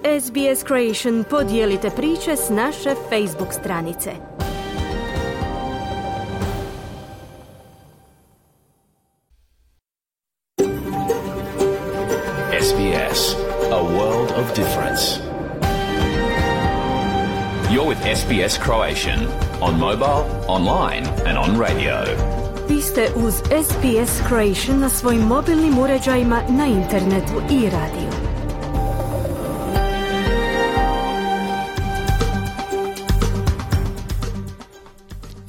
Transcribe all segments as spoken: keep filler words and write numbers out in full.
S B S Creation podijelite priče s naše Facebook stranice. S B S, a world of difference. You're with S B S Croatian on mobile, online and on radio. Vi ste uz S B S Croatian na svojim mobilnim uređajima, na internetu i radiju.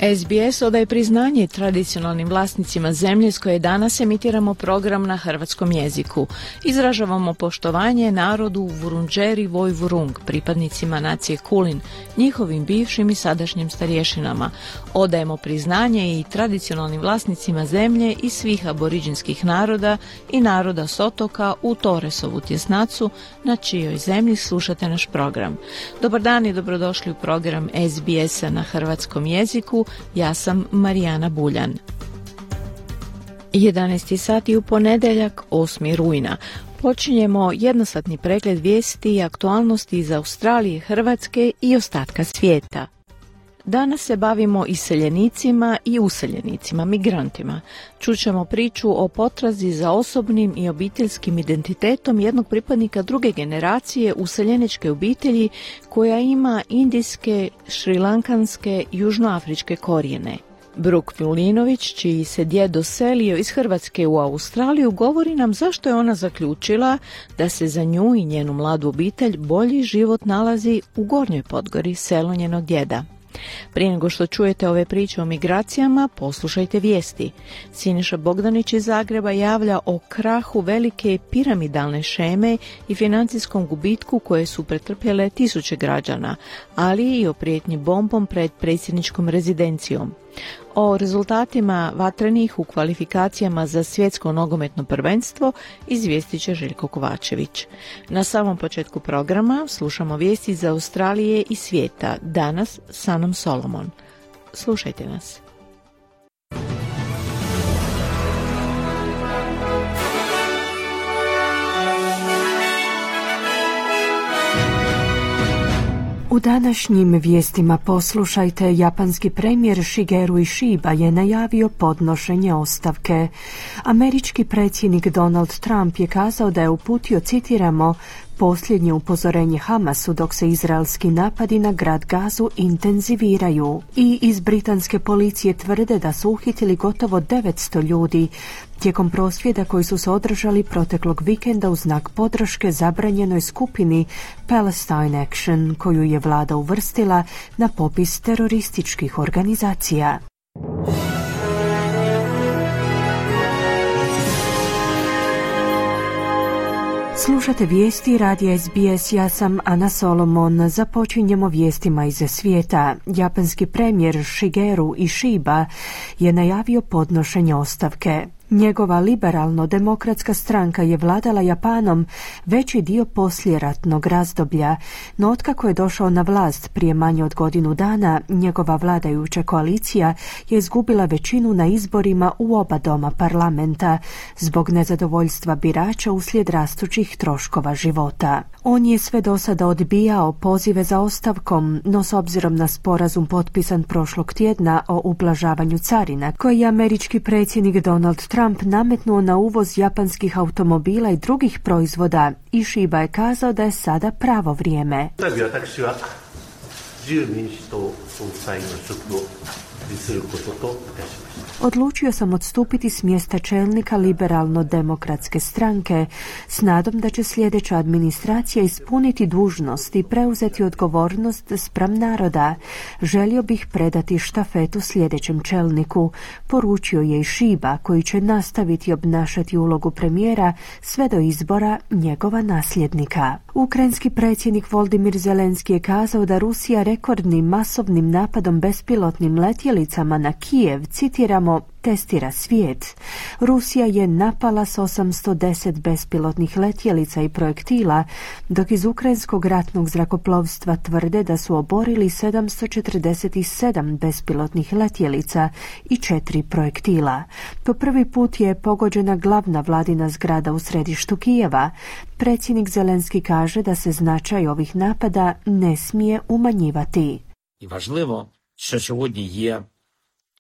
S B S odaje priznanje tradicionalnim vlasnicima zemlje s koje danas emitiramo program na hrvatskom jeziku. Izražavamo poštovanje narodu Vurundjeri Vojvurung, pripadnicima nacije Kulin, njihovim bivšim i sadašnjim starješinama. Odajemo priznanje i tradicionalnim vlasnicima zemlje i svih aboriđinskih naroda i naroda s otoka u Torresovu tjesnacu, na čijoj zemlji slušate naš program. Dobar dan i dobrodošli u program S B S-a na hrvatskom jeziku. Ja sam Marijana Buljan. jedanaesti sati u ponedjeljak, osmi rujna. Počinjemo jednosatni pregled vijesti i aktualnosti iz Australije, Hrvatske i ostatka svijeta. Danas se bavimo iseljenicima i useljenicima, migrantima. Čućemo priču o potrazi za osobnim i obiteljskim identitetom jednog pripadnika druge generacije useljeničke obitelji koja ima indijske, šrilankanske, južnoafričke korijene. Bruk Milinović, čiji se djed doselio iz Hrvatske u Australiju, govori nam zašto je ona zaključila da se za nju i njenu mladu obitelj bolji život nalazi u Gornjoj Podgori, selu njenog djeda. Prije nego što čujete ove priče o migracijama, poslušajte vijesti. Siniša Bogdanić iz Zagreba javlja o krahu velike piramidalne šeme i financijskom gubitku koje su pretrpjele tisuće građana, ali i o prijetnji bombom pred predsjedničkom rezidencijom. O rezultatima vatrenih u kvalifikacijama za svjetsko nogometno prvenstvo izvijestit će Željko Kovačević. Na samom početku programa slušamo vijesti iz Australije i svijeta. Danas sa Anom Solomon. Slušajte nas. U današnjim vijestima poslušajte, japanski premijer Shigeru Ishiba je najavio podnošenje ostavke. Američki predsjednik Donald Trump je kazao da je uputio, citiramo, posljednje upozorenje Hamasu dok se izraelski napadi na grad Gazu intenziviraju. I iz britanske policije tvrde da su uhitili gotovo devetsto ljudi tijekom prosvjeda koji su se održali proteklog vikenda u znak podrške zabranjenoj skupini Palestine Action, koju je vlada uvrstila na popis terorističkih organizacija. Slušate vijesti radija S B S, ja sam Ana Solomon. Započinjemo vijestima iz svijeta. Japanski premijer Shigeru Ishiba je najavio podnošenje ostavke. Njegova liberalno-demokratska stranka je vladala Japanom veći dio poslijeratnog razdoblja, no otkako je došao na vlast prije manje od godinu dana, njegova vladajuća koalicija je izgubila većinu na izborima u oba doma parlamenta zbog nezadovoljstva birača uslijed rastućih troškova života. On je sve do sada odbijao pozive za ostavkom, no s obzirom na sporazum potpisan prošlog tjedna o ublažavanju carina, koji je američki predsjednik Donald Trump Trump nametnuo na uvoz japanskih automobila i drugih proizvoda, Ishiba je kazao da je sada pravo vrijeme. Odlučio sam odstupiti s mjesta čelnika liberalno-demokratske stranke s nadom da će sljedeća administracija ispuniti dužnost i preuzeti odgovornost spram naroda. Želio bih predati štafetu sljedećem čelniku, poručio je Ishiba, koji će nastaviti obnašati ulogu premijera sve do izbora njegova nasljednika. Ukrajinski predsjednik Volodymyr Zelenski je kazao da Rusija rekordnim masovnim napadom bespilotnim letjelicama na Kijev, citiramo, testira svijet. Rusija je napala s osamsto deset bespilotnih letjelica i projektila, dok iz ukrajinskog ratnog zrakoplovstva tvrde da su oborili sedamsto četrdeset sedam bespilotnih letjelica i četiri projektila. Po prvi put je pogođena glavna vladina zgrada u središtu Kijeva. Predsjednik Zelenski kaže da se značaj ovih napada ne smije umanjivati. І важливо, що сьогодні є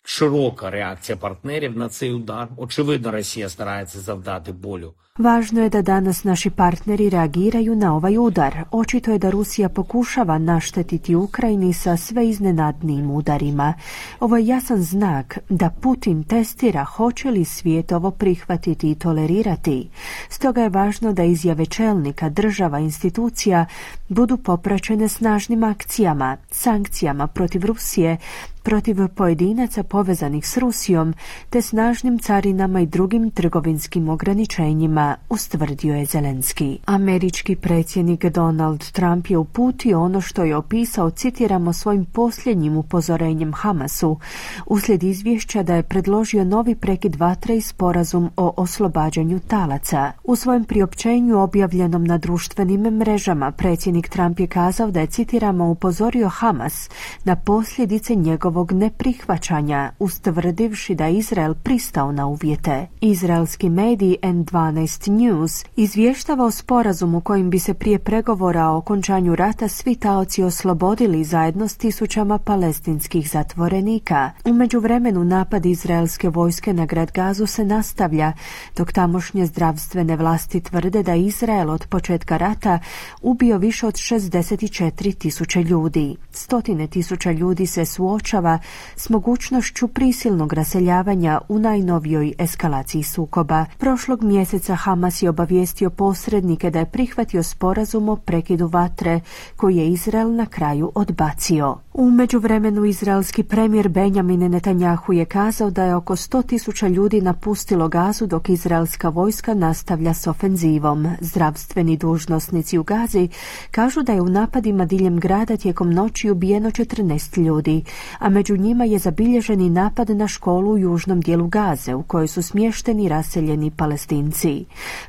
широка реакція партнерів на цей удар. Очевидно, Росія старається завдати болю. Važno je da danas naši partneri reagiraju na ovaj udar. Očito je da Rusija pokušava naštetiti Ukrajini sa sve iznenadnijim udarima. Ovo je jasan znak da Putin testira hoće li svijet ovo prihvatiti i tolerirati. Stoga je važno da izjave čelnika, država, institucija budu popraćene snažnim akcijama, sankcijama protiv Rusije, protiv pojedinaca povezanih s Rusijom, te snažnim carinama i drugim trgovinskim ograničenjima, ustvrdio je Zelenski. Američki predsjednik Donald Trump je uputio ono što je opisao, citiramo, svojim posljednjim upozorenjem Hamasu, uslijed izvješća da je predložio novi prekid vatre i sporazum o oslobađanju talaca. U svojem priopćenju objavljenom na društvenim mrežama, predsjednik Trump je kazao da je, citiramo, upozorio Hamas na posljedice njegovog neprihvaćanja, ustvrdivši da je Izrael pristao na uvjete. Izraelski medij N dvanaest News izvještava o sporazumu kojim bi se prije pregovora o okončanju rata svi taoci oslobodili zajedno s tisućama palestinskih zatvorenika. U međuvremenu napad izraelske vojske na grad Gazu se nastavlja, dok tamošnje zdravstvene vlasti tvrde da Izrael od početka rata ubio više od šezdeset četiri tisuće ljudi. Stotine tisuća ljudi se suočava s mogućnošću prisilnog raseljavanja u najnovijoj eskalaciji sukoba. Prošlog mjeseca Hamas je obavijestio posrednike da je prihvatio sporazum o prekidu vatre koji je Izrael na kraju odbacio. U međuvremenu izraelski premijer Benjamin Netanjahu je kazao da je oko sto tisuća ljudi napustilo Gazu dok izraelska vojska nastavlja s ofenzivom. Zdravstveni dužnosnici u Gazi kažu da je u napadima diljem grada tijekom noći ubijeno četrnaest ljudi, a među njima je zabilježeni napad na školu u južnom dijelu Gaze u kojoj su smješteni raseljeni Palestinci.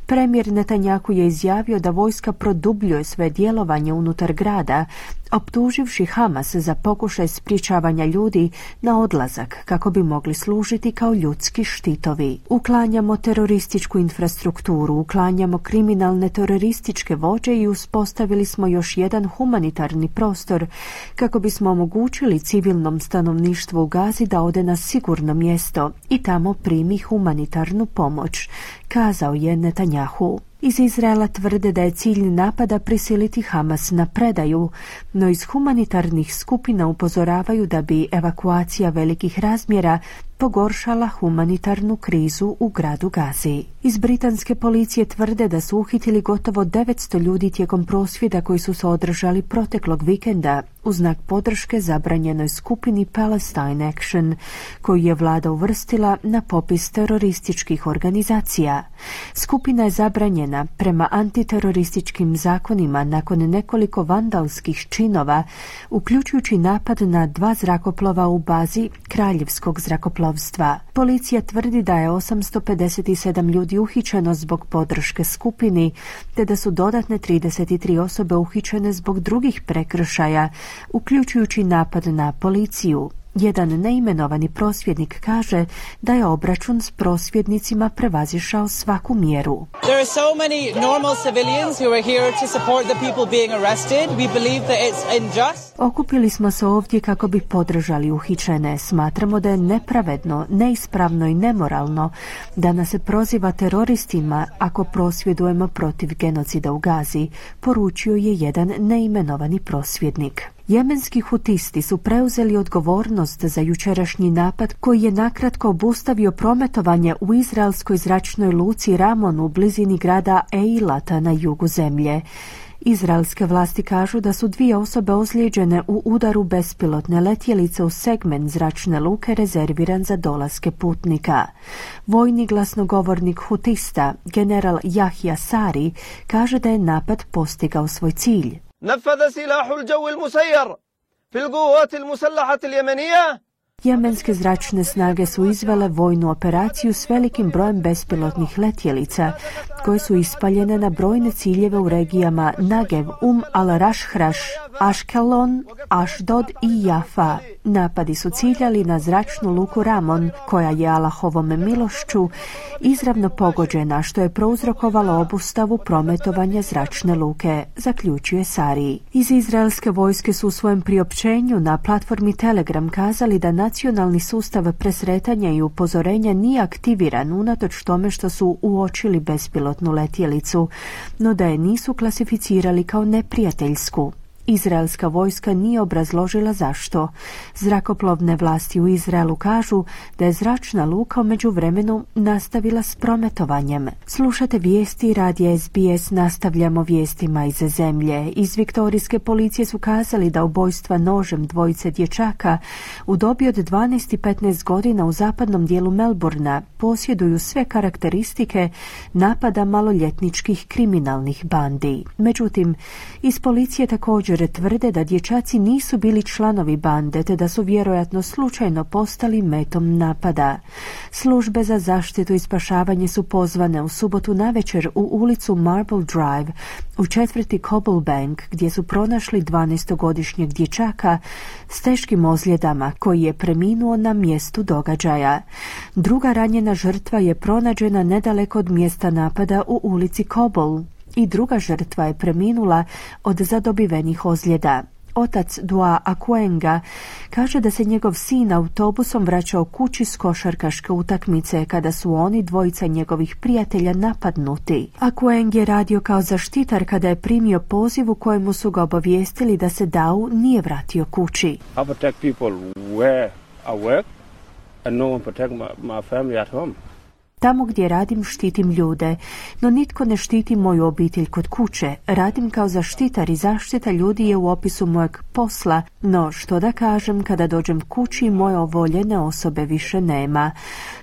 Premijer Netanjahu je izjavio da vojska produbljuje sve djelovanje unutar grada, optuživši Hamas za pokušaj sprječavanja ljudi na odlazak kako bi mogli služiti kao ljudski štitovi. Uklanjamo terorističku infrastrukturu, uklanjamo kriminalne terorističke vođe i uspostavili smo još jedan humanitarni prostor kako bismo omogućili civilnom stanovništvu u Gazi da ode na sigurno mjesto i tamo primi humanitarnu pomoć, kazao je Netanjahu. Iz Izraela tvrde da je cilj napada prisiliti Hamas na predaju, no iz humanitarnih skupina upozoravaju da bi evakuacija velikih razmjera pogoršala humanitarnu krizu u gradu Gazi. Iz britanske policije tvrde da su uhitili gotovo devetsto ljudi tijekom prosvjeda koji su se održali proteklog vikenda u znak podrške zabranjenoj skupini Palestine Action, koju je vlada uvrstila na popis terorističkih organizacija. Skupina je zabranjena prema antiterorističkim zakonima nakon nekoliko vandalskih činova, uključujući napad na dva zrakoplova u bazi Kraljevskog zrakoplovstva. Policija tvrdi da je osamsto pedeset sedam ljudi uhićeno zbog podrške skupini, te da su dodatne trideset tri osobe uhićene zbog drugih prekršaja, uključujući napad na policiju. Jedan neimenovani prosvjednik kaže da je obračun s prosvjednicima prevazišao svaku mjeru. There are so many normal civilians who are here to support the people being arrested. We believe that it's unjust. Okupili smo se ovdje kako bi podržali uhićene. Smatramo da je nepravedno, neispravno i nemoralno da nas se proziva teroristima ako prosvjedujemo protiv genocida u Gazi, poručio je jedan neimenovani prosvjednik. Jemenski hutisti su preuzeli odgovornost za jučerašnji napad koji je nakratko obustavio prometovanje u izraelskoj zračnoj luci Ramon u blizini grada Eilata na jugu zemlje. Izraelske vlasti kažu da su dvije osobe ozlijeđene u udaru bespilotne letjelice u segment zračne luke rezerviran za dolaske putnika. Vojni glasnogovornik hutista, general Jahja Sari, kaže da je napad postigao svoj cilj. نفذ سلاح الجو المسير في القوات المسلحة اليمنية Jemenske zračne snage su izvele vojnu operaciju s velikim brojem bespilotnih letjelica, koje su ispaljene na brojne ciljeve u regijama Nagev, Um al-Rashraš, Ashkelon, Ashdod i Jafa. Napadi su ciljali na zračnu luku Ramon, koja je Allahovom milošću izravno pogođena, što je prouzrokovalo obustavu prometovanja zračne luke, zaključuje Sari. Iz izraelske vojske su u svojem priopćenju na platformi Telegram kazali da nacionalni sustav presretanja i upozorenja nije aktiviran unatoč tome što su uočili bespilotnu letjelicu, no da je nisu klasificirali kao neprijateljsku. Izraelska vojska nije obrazložila zašto. Zrakoplovne vlasti u Izraelu kažu da je zračna luka u međuvremenu nastavila s prometovanjem. Slušate vijesti radija S B S, nastavljamo vijestima iz zemlje. Iz viktorijske policije su kazali da ubojstva nožem dvojice dječaka u dobi od dvanaest i petnaest godina u zapadnom dijelu Melbourna posjeduju sve karakteristike napada maloljetničkih kriminalnih bandi. Međutim, iz policije također tvrde da dječaci nisu bili članovi bande, te da su vjerojatno slučajno postali metom napada. Službe za zaštitu i spašavanje su pozvane u subotu navečer u ulicu Marble Drive u četvrti Cobblebank, gdje su pronašli dvanaestogodišnjeg dječaka s teškim ozljedama koji je preminuo na mjestu događaja. Druga ranjena žrtva je pronađena nedaleko od mjesta napada u ulici Cobble i druga žrtva je preminula od zadobivenih ozljeda. Otac Dua Akuenga kaže da se njegov sin autobusom vraćao kući s košarkaške utakmice kada su oni dvojica njegovih prijatelja napadnuti. Akueng je radio kao zaštitar kada je primio poziv u kojemu su ga obavijestili da se Dau nije vratio kući. I protect people where I work and no one protect my, my family at home. Tamo gdje radim štitim ljude, no nitko ne štiti moju obitelj kod kuće. Radim kao zaštitar i zaštita ljudi je u opisu mojeg posla, no što da kažem kada dođem kući moje ovoljene osobe više nema.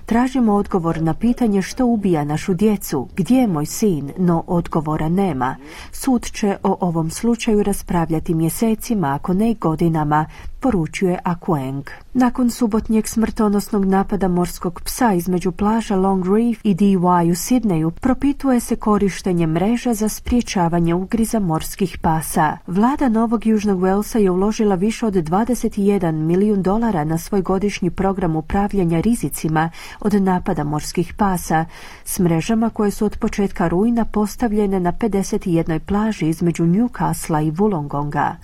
Tražimo odgovor na pitanje što ubija našu djecu, gdje je moj sin, no odgovora nema. Sud će o ovom slučaju raspravljati mjesecima, ako ne i godinama, poručuje Akueng. Nakon subotnjeg smrtonosnog napada morskog psa između plaža Long Reef i D Y u Sidneju propituje se korištenje mreža za sprječavanje ugriza morskih pasa. Vlada Novog Južnog Walesa je uložila više od dvadeset jedan milijun dolara na svoj godišnji program upravljanja rizicima od napada morskih pasa s mrežama koje su od početka rujna postavljene na pedeset jednoj plaži između Newcastle i Wollongonga.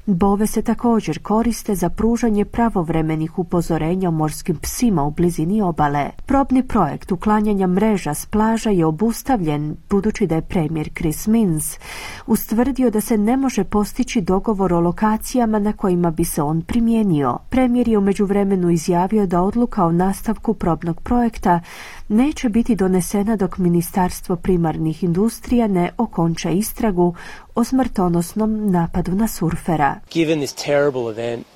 Bove se također koriste za pružanje pravovremenih upozorenja o morskim psima u blizini obale. Probni projekt uklanjanja mreža s plaža je obustavljen budući da je premijer Chris Minns ustvrdio da se ne može postići dogovor o lokacijama na kojima bi se on primijenio. Premijer je u međuvremenu izjavio da odluka o nastavku probnog projekta neće biti donesena dok Ministarstvo primarnih industrija ne okonča istragu o smrtonosnom napadu na surfera. Given this terrible event,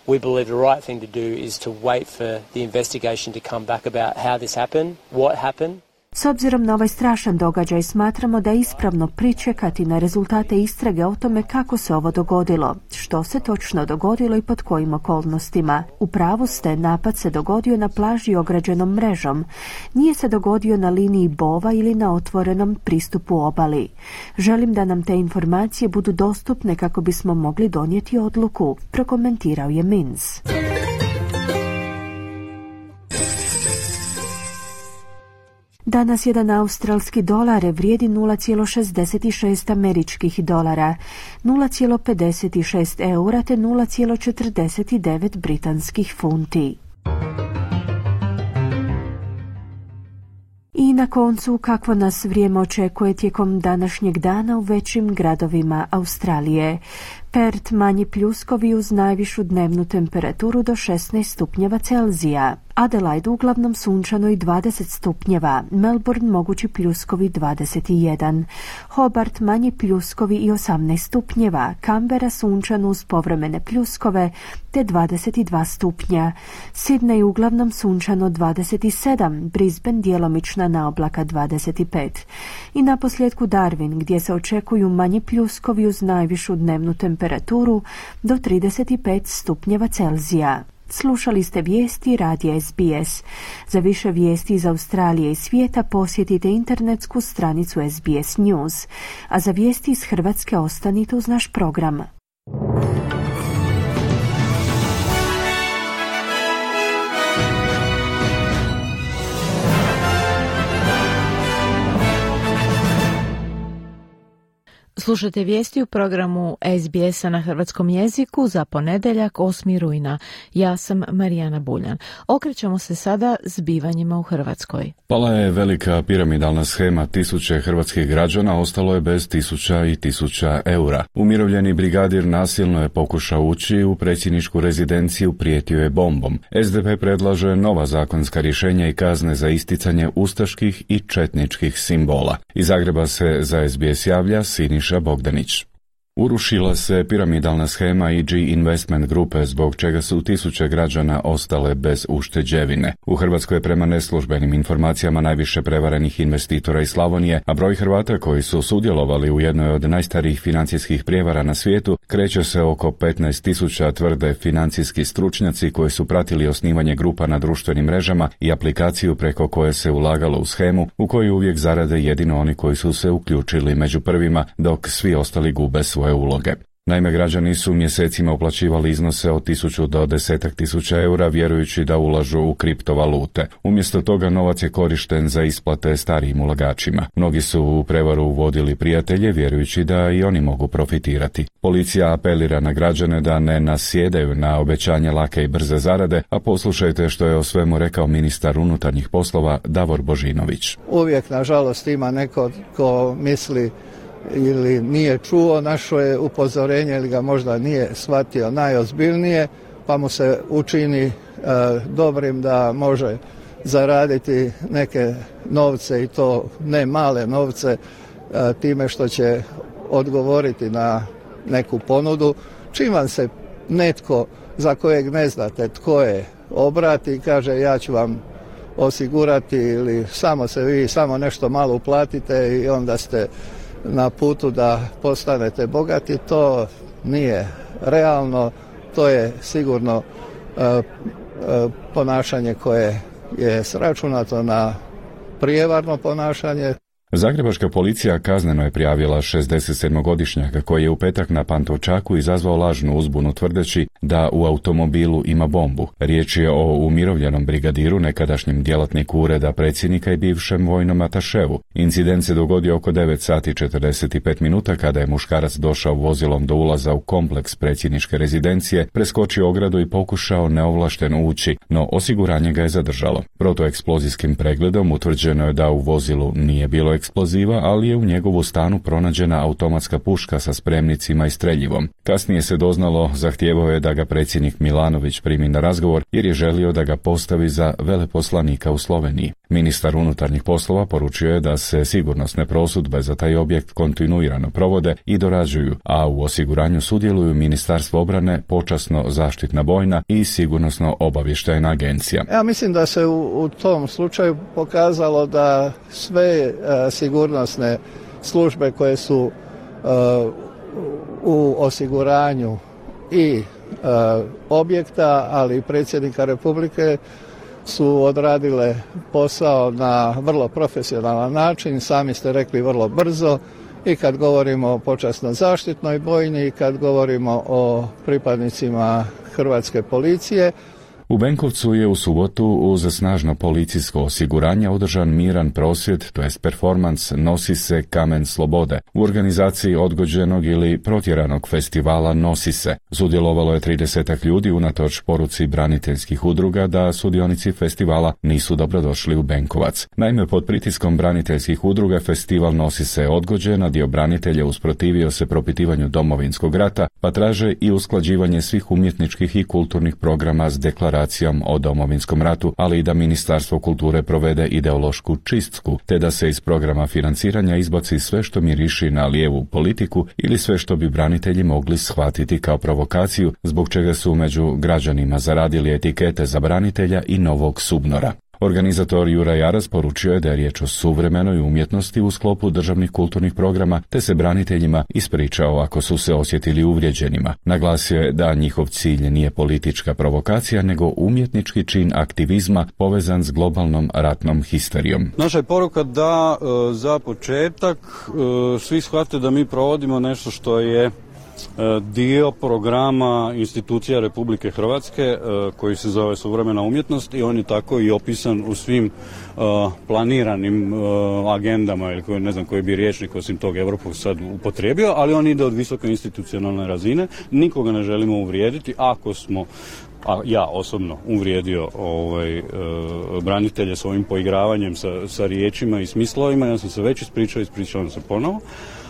we believe the right thing to do is to wait for the investigation to come back about how this happened, what happened. S obzirom na ovaj strašan događaj smatramo da je ispravno pričekati na rezultate istrage o tome kako se ovo dogodilo, što se točno dogodilo i pod kojim okolnostima. U pravu ste, napad se dogodio na plaži ograđenom mrežom. Nije se dogodio na liniji bova ili na otvorenom pristupu obali. Želim da nam te informacije budu dostupne kako bismo mogli donijeti odluku, prokomentirao je Minns. Danas jedan australski dolar vrijedi nula zarez šezdeset šest američkih dolara, nula zarez pedeset šest eura te nula zarez četrdeset devet britanskih funti. I na koncu, kakvo nas vrijeme očekuje tijekom današnjeg dana u većim gradovima Australije. Perth manji pljuskovi uz najvišu dnevnu temperaturu do šesnaest stupnjeva Celzija. Adelaide uglavnom sunčano i dvadeset stupnjeva. Melbourne mogući pljuskovi dvadeset jedan. Hobart manji pljuskovi i osamnaest stupnjeva. Canberra sunčano uz povremene pljuskove te dvadeset dva stupnja. Sydney uglavnom sunčano dvadeset sedam. Brisbane djelomična naoblaka dvadeset pet. I naposljetku Darwin gdje se očekuju manji pljuskovi uz najvišu dnevnu temperaturu do trideset pet stupnjeva Celzija. Slušali ste vijesti radija S B S. Za više vijesti iz Australije i svijeta posjetite internetsku stranicu S B S News, a za vijesti iz Hrvatske ostanite uz naš program. Slušajte vijesti u programu S B S-a na hrvatskom jeziku za ponedjeljak osmog rujna. Ja sam Marijana Buljan. Okrećemo se sada zbivanjima u Hrvatskoj. Pala je velika piramidalna shema, tisuće hrvatskih građana ostalo je bez tisuća i tisuća eura. Umirovljeni brigadir nasilno je pokušao ući u predsjedničku rezidenciju, prijetio je bombom. S D P predlaže nova zakonska rješenja i kazne za isticanje ustaških i četničkih simbola. Iz Zagreba se za S B S javlja Siniša Bogdanić. Urušila se piramidalna shema E G Investment grupe, zbog čega su tisuće građana ostale bez ušteđevine. U Hrvatskoj je prema neslužbenim informacijama najviše prevarenih investitora iz Slavonije, a broj Hrvata koji su sudjelovali u jednoj od najstarijih financijskih prijevara na svijetu kreće se oko petnaest tisuća, tvrde financijski stručnjaci koji su pratili osnivanje grupa na društvenim mrežama i aplikaciju preko koje se ulagalo u shemu, u kojoj uvijek zarade jedino oni koji su se uključili među prvima, dok svi ostali gube svoje uloge. Naime, građani su mjesecima uplaćivali iznose od tisuću do desetak tisuća eura vjerujući da ulažu u kriptovalute. Umjesto toga novac je korišten za isplate starijim ulagačima. Mnogi su u prevaru uvodili prijatelje vjerujući da i oni mogu profitirati. Policija apelira na građane da ne nasjedaju na obećanje lake i brze zarade, a poslušajte što je o svemu rekao ministar unutarnjih poslova Davor Božinović. Uvijek, nažalost, ima neko ko misli ili nije čuo naše upozorenje ili ga možda nije shvatio najozbiljnije, pa mu se učini e, dobrim da može zaraditi neke novce i to ne male novce e, time što će odgovoriti na neku ponudu. Čim vam se netko za kojeg ne znate tko je obrati i kaže ja ću vam osigurati ili samo se vi samo nešto malo uplatite i onda ste na putu da postanete bogati, to nije realno, to je sigurno uh, uh, ponašanje koje je sračunato na prijevarno ponašanje. Zagrebačka policija kazneno je prijavila šezdesetsedmogodišnjaka koji je u petak na Pantovčaku izazvao lažnu uzbunu tvrdeći da u automobilu ima bombu. Riječ je o umirovljenom brigadiru, nekadašnjem djelatniku ureda predsjednika i bivšem vojnom ataševu. Incident se dogodio oko devet sati četrdeset pet minuta kada je muškarac došao vozilom do ulaza u kompleks predsjedničke rezidencije, preskočio ogradu i pokušao neovlašteno ući, no osiguranje ga je zadržalo. Protueksplozijskim pregledom utvrđeno je da u vozilu nije bilo eksploziva, ali je u njegovu stanu pronađena automatska puška sa spremnicima i streljivom. Kasnije se doznalo, zahtijevao je da ga predsjednik Milanović primi na razgovor jer je želio da ga postavi za veleposlanika u Sloveniji. Ministar unutarnjih poslova poručio je da se sigurnosne prosudbe za taj objekt kontinuirano provode i dorađuju, a u osiguranju sudjeluju Ministarstvo obrane, počasno zaštitna bojna i sigurnosno obavještajna agencija. Ja mislim da se u, u tom slučaju pokazalo da sve uh, sigurnosne službe koje su uh, u osiguranju i uh, objekta, ali i predsjednika Republike su odradile posao na vrlo profesionalan način, sami ste rekli vrlo brzo, i kad govorimo o počasno zaštitnoj bojni i kad govorimo o pripadnicima Hrvatske policije. U Benkovcu je u subotu uz snažno policijsko osiguranje održan miran prosvjed, to jest performans Nosi se kamen slobode, u organizaciji odgođenog ili protjeranog festivala Nosi se. Sudjelovalo je tridesetak ljudi unatoč poruci braniteljskih udruga da sudionici festivala nisu dobrodošli u Benkovac. Naime, pod pritiskom braniteljskih udruga festival Nosi se odgođen, a dio branitelja usprotivio se propitivanju Domovinskog rata, pa traže i usklađivanje svih umjetničkih i kulturnih programa s deklaracijom o Domovinskom ratu, ali i da Ministarstvo kulture provede ideološku čistku, te da se iz programa financiranja izbaci sve što miriši na lijevu politiku ili sve što bi branitelji mogli shvatiti kao provokaciju, zbog čega su među građanima zaradili etikete za branitelja i novog subnora. Organizator Juraj Jaras poručio je da je riječ o suvremenoj umjetnosti u sklopu državnih kulturnih programa, te se braniteljima ispričao ako su se osjetili uvrijeđenima. Naglasio je da njihov cilj nije politička provokacija, nego umjetnički čin aktivizma povezan s globalnom ratnom histerijom. Naša je poruka da e, za početak e, svi shvate da mi provodimo nešto što je e, dio programa institucija Republike Hrvatske e, koji se zove suvremena umjetnost i on je tako i opisan u svim e, planiranim e, agendama ili koji, ne znam koji bi rječnik osim tog Evropskog sad upotrijebio, ali on ide od visoke institucionalne razine. Nikoga ne želimo uvrijediti. Ako smo, a ja osobno uvrijedio ovaj, e, branitelje s ovim poigravanjem sa, sa riječima i smislovima, ja sam se već ispričao, ispričavam se ponovo,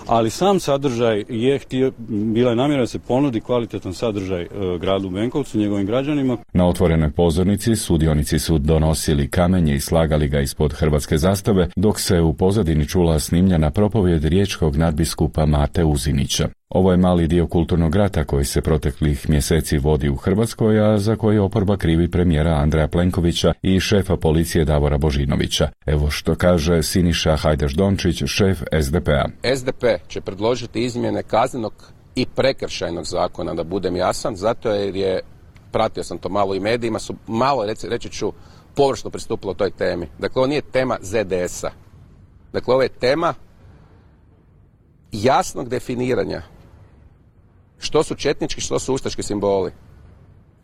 ali sam sadržaj je htio, bila je namjera da se ponudi kvalitetan sadržaj e, gradu Benkovcu, njegovim građanima. Na otvorenoj pozornici sudionici su donosili kamenje i slagali ga ispod hrvatske zastave, dok se u pozadini čula snimljena propovjed riječkog nadbiskupa Mate Uzinića. Ovo je mali dio kulturnog rata koji se proteklih mjeseci vodi u Hrvatskoj, a za koji oporba krivi premijera Andreja Plenkovića i šefa policije Davora Božinovića. Evo što kaže Siniša Hajdaš-Dončić, šef es de pe-a. es de pe će predložiti izmjene kaznenog i prekršajnog zakona, da budem jasan, zato jer je, pratio sam to malo i medijima, su malo, reći, reći ću, površno pristupilo toj temi. Dakle, ovo nije tema zet de es-a. Dakle, ovo je tema jasnog definiranja što su četnički, što su ustaški simboli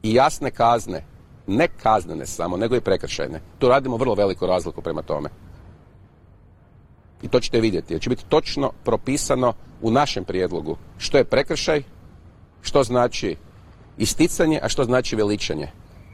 i jasne kazne, ne kaznene samo, nego i prekršajne. Tu radimo vrlo veliku razliku prema tome. I to ćete vidjeti, jer će biti točno propisano u našem prijedlogu što je prekršaj, što znači isticanje, a što znači veličanje.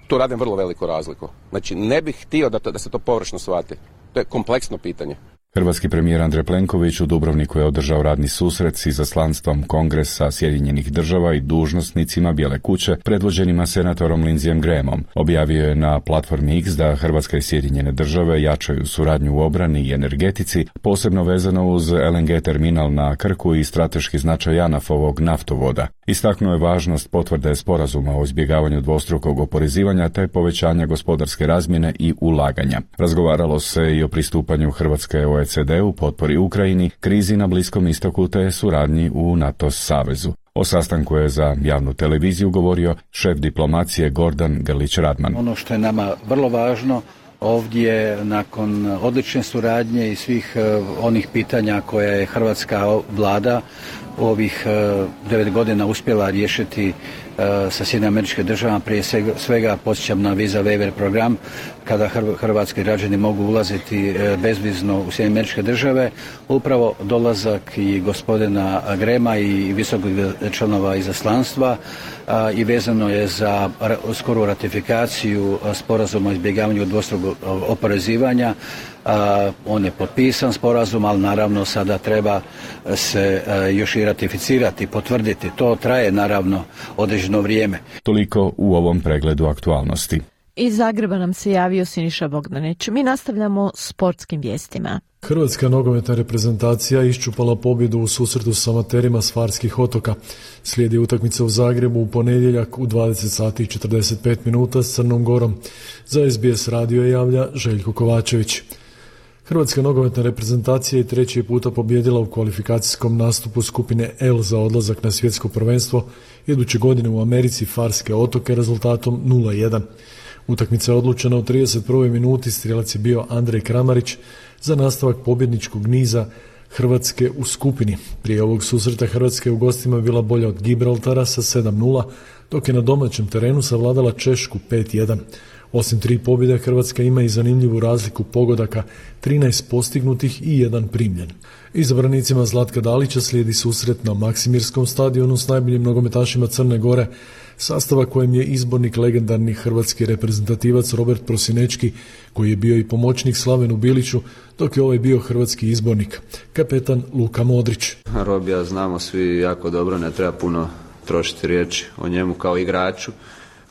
Tu radim vrlo veliku razliku. Znači, ne bih htio da, to, da se to površno shvati. To je kompleksno pitanje. Hrvatski premijer Andrej Plenković u Dubrovniku je održao radni susret s izaslanstvom Kongresa Sjedinjenih država i dužnosnicima Bijele kuće, predvođenima senatorom Lindseyem Grahamom. Objavio je na platformi X da Hrvatska i Sjedinjene države jačaju suradnju u obrani i energetici, posebno vezano uz el en ge terminal na Krku i strateški značaj JANAF-ovog naftovoda. Istaknuo je važnost potvrde sporazuma o izbjegavanju dvostrukog oporezivanja te povećanja gospodarske razmjene i ulaganja. Razgovaralo se i o pristupanju Hrvatske o e ce de-u, potpori Ukrajini, krizi na Bliskom istoku te suradnji u NATO savezu. O sastanku je za javnu televiziju govorio šef diplomacije Gordan Grlić-Radman. Ono što je nama vrlo važno ovdje, nakon odlične suradnje i svih uh, onih pitanja koje je hrvatska vlada u ovih uh, devet godina uspjela riješiti uh, sa Sjedinjenim Američkim Državama, prije svega, svega podsjećam na Visa Waiver program, kada hrvatski građani mogu ulaziti uh, bezvizno u Sjedinjene Američke Države. Upravo dolazak i gospodina Grema i visokih članova izaslanstva uh, i vezano je za skoru ratifikaciju uh, sporazuma o izbjegavanju dvostrukog oporezivanja. Uh, on je potpisan sporazum, ali naravno sada treba se uh, još i ratificirati, potvrditi. To traje naravno određeno vrijeme. Toliko u ovom pregledu aktualnosti. Iz Zagreba nam se javio Siniša Bogdanić. Mi nastavljamo sportskim vijestima. Hrvatska nogometna reprezentacija iščupala pobjedu u susretu s amaterima s Farskih otoka. Slijedi utakmica u Zagrebu u ponedjeljak u dvadeset sati i četrdeset pet minuta s Crnom Gorom. Za es be es radio javlja Željko Kovačević. Hrvatska nogometna reprezentacija je treći puta pobjedila u kvalifikacijskom nastupu skupine L za odlazak na svjetsko prvenstvo iduće godine u Americi Farske otoke rezultatom nula jedan. Utakmica je odlučena u trideset prvoj minuti, strijelac je bio Andrej Kramarić za nastavak pobjedničkog niza Hrvatske u skupini. Prije ovog susreta Hrvatska je u gostima bila bolja od Gibraltara sa sedam nula, dok je na domaćem terenu savladala Češku pet jedan. Osim tri pobjede, Hrvatska ima i zanimljivu razliku pogodaka, trinaest postignutih i jedan primljen. Izabranicima Zlatka Dalića slijedi susret na Maksimirskom stadionu s najboljim nogometašima Crne Gore, sastava kojem je izbornik legendarni hrvatski reprezentativac Robert Prosinečki, koji je bio i pomoćnik Slavenu Biliću, dok je ovaj bio hrvatski izbornik, kapetan Luka Modrić. Robija znamo svi jako dobro, ne treba puno trošiti riječi o njemu kao igraču.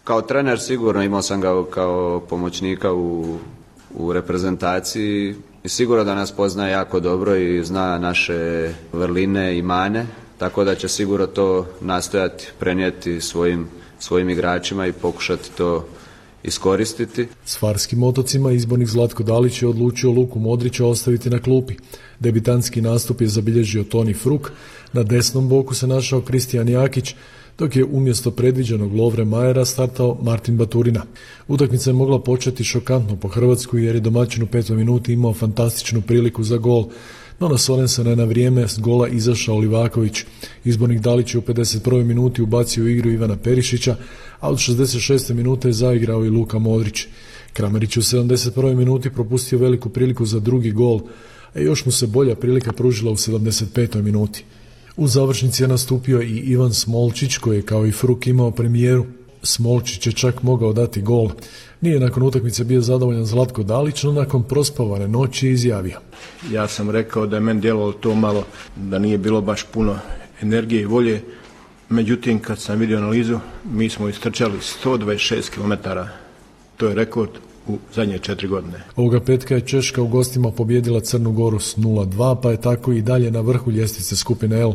Kao trener sigurno imao sam ga kao pomoćnika u, u reprezentaciji i sigurno da nas poznaje jako dobro i zna naše vrline i mane, tako da će sigurno to nastojati prenijeti svojim, svojim igračima i pokušati to iskoristiti. S Farskim otocima izbornik Zlatko Dalić je odlučio Luku Modrića ostaviti na klupi. Debitanski nastup je zabilježio Toni Fruk, na desnom boku se našao Kristijan Jakić, dok je umjesto predviđenog Lovre Majera startao Martin Baturina. Utakmica je mogla početi šokantno po Hrvatsku jer je domaćin u petoj minuti imao fantastičnu priliku za gol, no na Sorensena je na vrijeme s gola izašao Livaković. Izbornik Dalić je u pedeset prvoj minuti ubacio u igru Ivana Perišića, a od šezdeset šeste minute je zaigrao i Luka Modrić. Kramarić u sedamdeset prvoj minuti propustio veliku priliku za drugi gol, a još mu se bolja prilika pružila u sedamdeset petoj minuti. U završnici je nastupio i Ivan Smolčić, koji je kao i Fruk imao premijeru. Smolčić je čak mogao dati gol. Nije nakon utakmice bio zadovoljan Zlatko Dalić, no nakon prospavane noći je izjavio: Ja sam rekao da je meni djelovalo to malo, da nije bilo baš puno energije i volje. Međutim, kad sam vidio analizu, mi smo istrčali sto dvadeset šest kilometara. To je rekord u zadnje četiri godine. Ovoga petka je Češka u gostima pobjedila Crnu Goru s nula dva, pa je tako i dalje na vrhu ljestvice skupine L.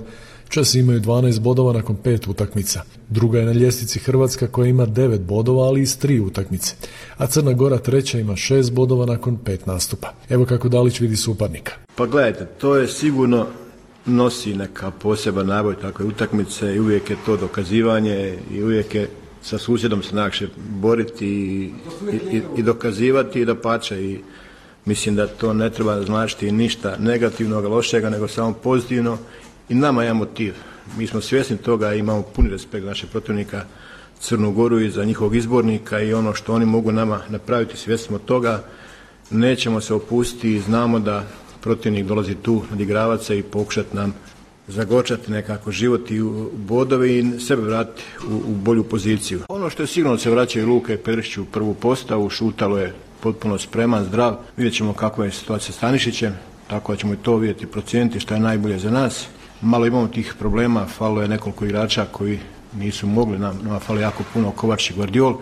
Česi imaju dvanaest bodova nakon pet utakmica. Druga je na ljestvici Hrvatska koja ima devet bodova, ali iz tri utakmice. A Crna Gora treća ima šest bodova nakon pet nastupa. Evo kako Dalić vidi suparnika. Pa gledajte, to je sigurno nosi neka poseban naboj takve utakmice i uvijek je to dokazivanje i uvijek je sa susjedom se najlakše boriti i, i, i dokazivati i da pače. I mislim da to ne treba značiti ništa negativnog, lošega, nego samo pozitivno. I nama je motiv. Mi smo svjesni toga i imamo puni respekt našeg protivnika Crnu Goru i za njihovog izbornika i ono što oni mogu nama napraviti, svjesni smo toga. Nećemo se opustiti i znamo da protivnik dolazi tu nadigravati se i pokušati nam zagorčati nekako život i bodove i sebe vratiti u, u bolju poziciju. Ono što je sigurno se vraćaju Luka i Perišić u prvu postavu, Šutalo je potpuno spreman, zdrav. Vidjet ćemo kakva je situacija s Stanišićem, tako da ćemo i to vidjeti, procijeniti što je najbolje za nas. Malo imamo tih problema, falo je nekoliko igrača koji nisu mogli, nam, nama falo jako puno, Kovač i Guardiol.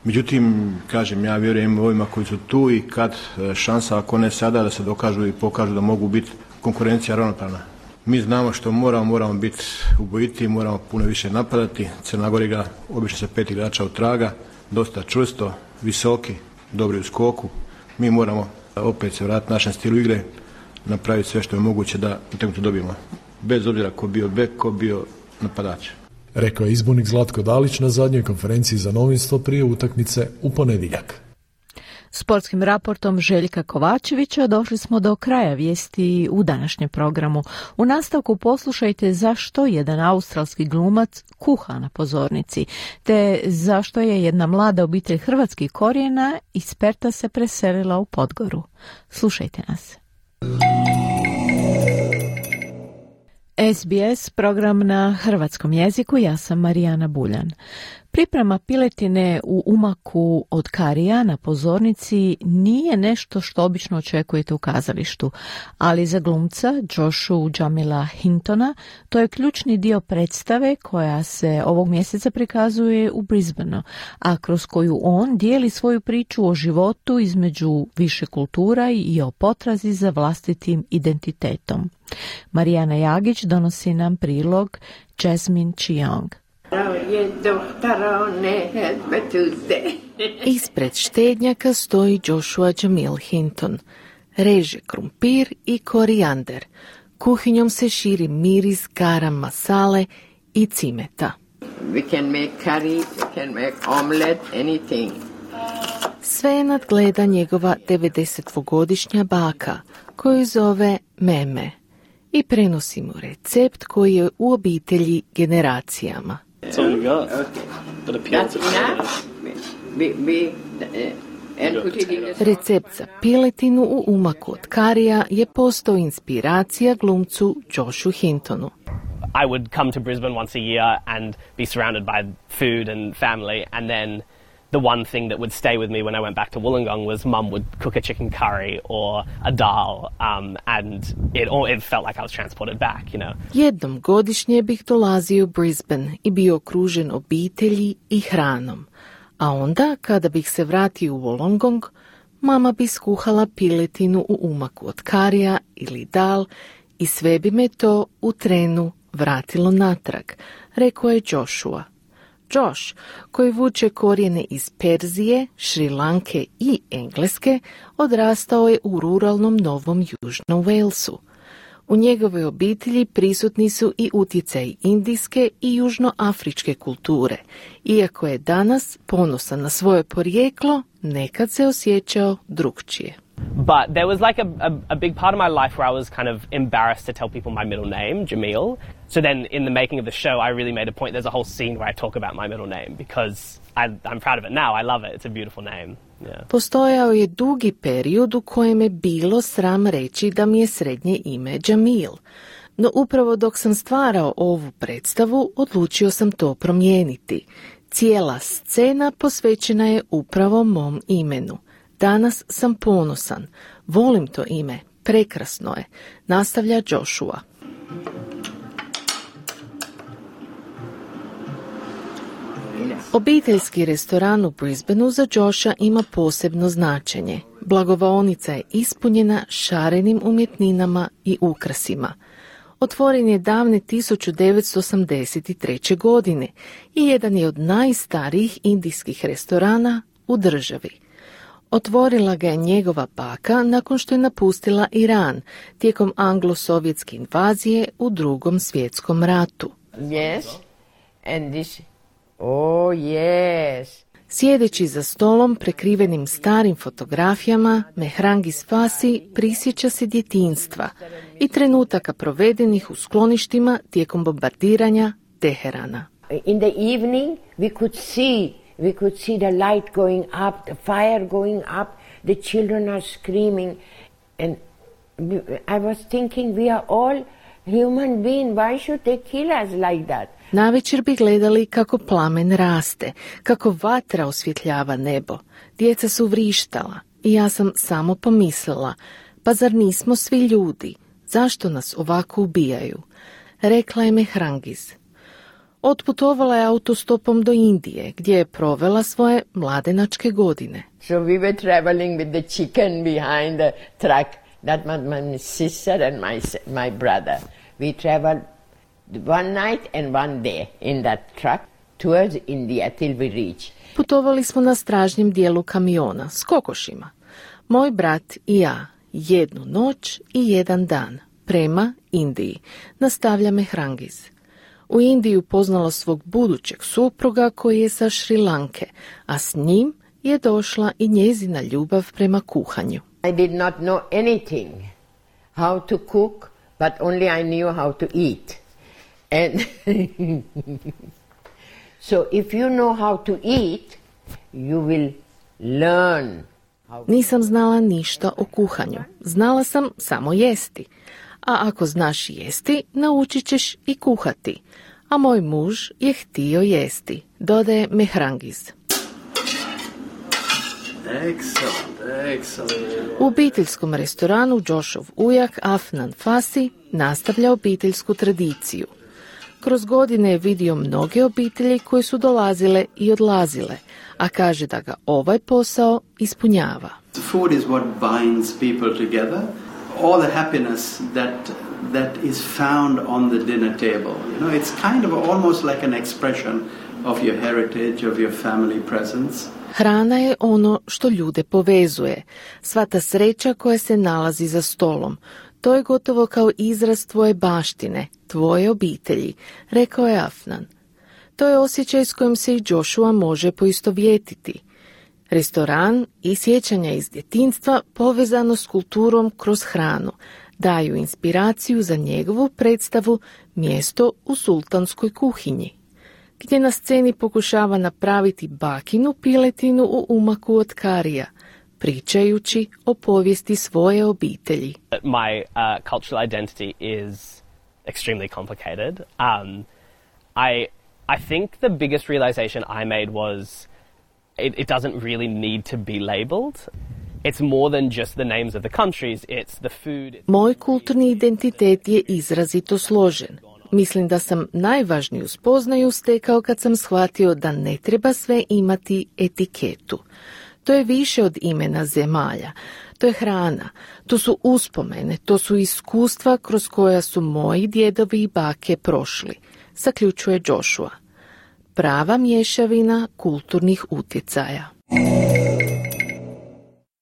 Međutim, kažem, ja vjerujem ovima koji su tu i kad šansa, ako ne sada, da se dokažu i pokažu da mogu biti konkurencija ravnopravna. Mi znamo što moramo, moramo biti ubojiti, moramo puno više napadati. Crna Gora igra obično sa pet igrača od traga, dosta čvrsto, visoki, dobri u skoku. Mi moramo opet se vratiti našem stilu igre, napraviti sve što je moguće da utakmicu dobijemo. Bez obzira ko bio bek, ko bio napadač. Rekao je izbornik Zlatko Dalić na zadnjoj konferenciji za novinstvo prije utakmice u ponedjeljak. Sportskim raportom Željka Kovačevića došli smo do kraja vijesti u današnjem programu. U nastavku poslušajte zašto jedan australski glumac kuha na pozornici, te zašto je jedna mlada obitelj hrvatskih korijena iz Perta se preselila u Podgoru. Slušajte nas. S B S program na hrvatskom jeziku, ja sam Marijana Buljan. Priprema piletine u umaku od karija na pozornici nije nešto što obično očekujete u kazalištu, ali za glumca Joshua Jamila Hintona to je ključni dio predstave koja se ovog mjeseca prikazuje u Brisbaneu, a kroz koju on dijeli svoju priču o životu između više kultura i o potrazi za vlastitim identitetom. Marijana Jagić donosi nam prilog Jasmine Chiong. Ispred štednjaka stoji Joshua Jamil Hinton. Reže krumpir i korijander. Kuhinjom se širi miris garam masale i cimeta. We can make curry, we can make omelette, anything. Sve nadgleda njegova devedesetdvogodišnja baka, koju zove Meme, i prenosi mu recept koji je u obitelji generacijama. That's all you got. Okay. But That's enough. We, we, uh, and put it in a... Recept za piletinu u umaku od karija je postao inspiracija glumcu Joshu Hintonu. I would come to Brisbane once a year and be surrounded by food and family, and then the one thing that would stay with me when I went back to Wollongong was Mum would cook a chicken curry or a dal, um, and it it felt like I was transported back, you know. Jednom godišnje bih dolazio u Brisbane i bio okružen obitelji i hranom. A onda, kada bih se vratio u Wollongong, mama bi skuhala piletinu u umaku od karija ili dal i sve bi me to u trenu vratilo natrag, rekao je Joshua. Josh, koji vuče korijene iz Perzije, Šri Lanke i Engleske, odrastao je u ruralnom Novom Južnom Walesu. U njegovoj obitelji prisutni su i utjecaji indijske i južnoafričke kulture. Iako je danas ponosan na svoje porijeklo, nekad se osjećao drukčije. But there was like a, a, a big part of my life where I was kind of embarrassed to tell people my middle name, Jamil. So then in the making of the show, I really made a point. There's a whole scene where I talk about my middle name because I, I'm proud of it now. I love it. It's a beautiful name. Yeah. Postojao je dugi period u kojem je bilo sram reći da mi je srednje ime Jamil. No upravo dok sam stvarao ovu predstavu, odlučio sam to promijeniti. Cijela scena posvećena je upravo mom imenu. Danas sam ponosan. Volim to ime. Prekrasno je. Nastavlja Joshua. Obiteljski restoran u Brisbaneu za Josha ima posebno značenje. Blagovaonica je ispunjena šarenim umjetninama i ukrasima. Otvoren je davne tisuću devetsto osamdeset treće. godine i jedan je od najstarijih indijskih restorana u državi. Otvorila ga je njegova baka nakon što je napustila Iran tijekom anglo-sovjetske invazije u Drugom svjetskom ratu. Yes, and this, oh yes. Sjedeći za stolom prekrivenim starim fotografijama, Mehrangis Fasi prisjeća se djetinjstva i trenutaka provedenih u skloništima tijekom bombardiranja Teherana. In the evening we could see We could see the light going up, the fire going up, the children are screaming. And I was thinking, we are all human beings, why should they kill us like that? Navečer bi gledali kako plamen raste, kako vatra osvjetljava nebo. Djeca su vrištala i ja sam samo pomislila, pa zar nismo svi ljudi? Zašto nas ovako ubijaju? Rekla je Mehrangis. Otputovala je autostopom do Indije, gdje je provela svoje mladenačke godine. So we were traveling with the chicken behind the truck. That was my sister and my my brother. We traveled one night and one day in that truck towards India till we reached. Putovali smo na stražnjem dijelu kamiona s kokošima. Moj brat i ja, jednu noć i jedan dan, prema Indiji, nastavlja Mehrangis. U Indiji upoznala svog budućeg supruga koji je sa Šri Lanke, a s njim je došla i njezina ljubav prema kuhanju. I did not know anything how to cook, but only I knew how to eat. And so if you know how to eat, you will learn. Nisam znala ništa o kuhanju. Znala sam samo jesti. A ako znaš jesti, naučit ćeš i kuhati. A moj muž je htio jesti, dodaje Mehrangis. Excellent, excellent. U obiteljskom restoranu Joshov ujak Afnan Fasi nastavlja obiteljsku tradiciju. Kroz godine je vidio mnoge obitelji koje su dolazile i odlazile, a kaže da ga ovaj posao ispunjava. Food is what binds people together. All the happiness that that is found on the dinner table. You know, it's kind of almost like an expression of your heritage, of your family presence. Hrana je ono što ljude povezuje. Sva ta sreća koja se nalazi za stolom. To je gotovo kao izraz tvoje baštine, tvoje obitelji, rekao je Afnan. To je osjećaj s kojim se i Joshua može poistovjetiti. Restoran i sjećanja iz djetinjstva povezano s kulturom kroz hranu daju inspiraciju za njegovu predstavu Mjesto u sultanskoj kuhinji, gdje na sceni pokušava napraviti bakinu piletinu u umaku od karija, pričajući o povijesti svoje obitelji. My uh, cultural identity is extremely complicated. Um, I I think the biggest realization I made was It, it doesn't really need to be labeled. It's more than just the names of the countries, it's the food. Moj kulturni identitet je izrazito složen. Mislim da sam najvažniju spoznaju stekao kad sam shvatio da ne treba sve imati etiketu. To je više od imena zemalja. To je hrana, to su uspomene, to su iskustva kroz koja su moji djedovi i bake prošli, zaključuje Joshua. prava mješavina kulturnih utjecaja.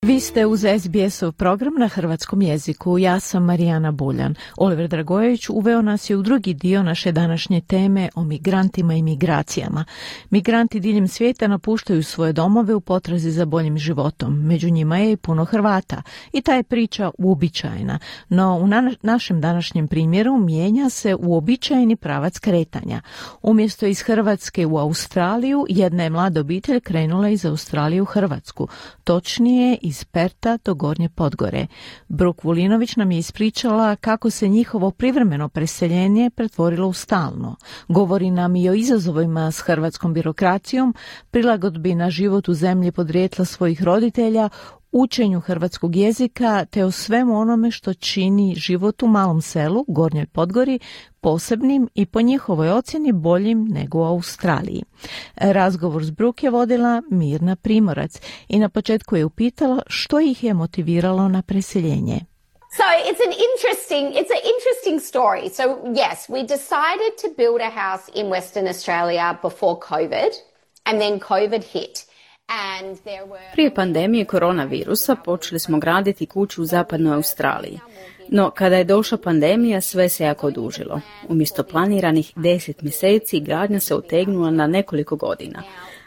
Vi ste uz es be esov program na hrvatskom jeziku. Ja sam Marijana Buljan. Oliver Dragojević uveo nas je u drugi dio naše današnje teme o migrantima i migracijama. Migranti diljem svijeta napuštaju svoje domove u potrazi za boljim životom. Među njima je i puno Hrvata. I ta je priča uobičajena. No u na- našem današnjem primjeru mijenja se uobičajeni pravac kretanja. Umjesto iz Hrvatske u Australiju, jedna je mlada obitelj krenula iz Australije u Hrvatsku. Točnije iz Perta do Gornje Podgore. Bruk Vulinović nam je ispričala kako se njihovo privremeno preseljenje pretvorilo u stalno. Govori nam i o izazovima s hrvatskom birokracijom, prilagodbi na život u zemlji podrijetla svojih roditelja, učenju hrvatskog jezika te o svemu onome što čini život u malom selu, Gornjoj Podgori, posebnim i po njihovoj ocjeni boljim nego u Australiji. Razgovor s Bruk je vodila Mirna Primorac i na početku je upitala što ih je motiviralo na preseljenje. So it's an interesting, it's an interesting story. So yes, we decided to build a house in Western Australia before COVID, and then COVID hit. Prije pandemije koronavirusa počeli smo graditi kuću u zapadnoj Australiji. No, kada je došla pandemija, sve se jako odužilo. Umjesto planiranih deset mjeseci, gradnja se otegnula na nekoliko godina.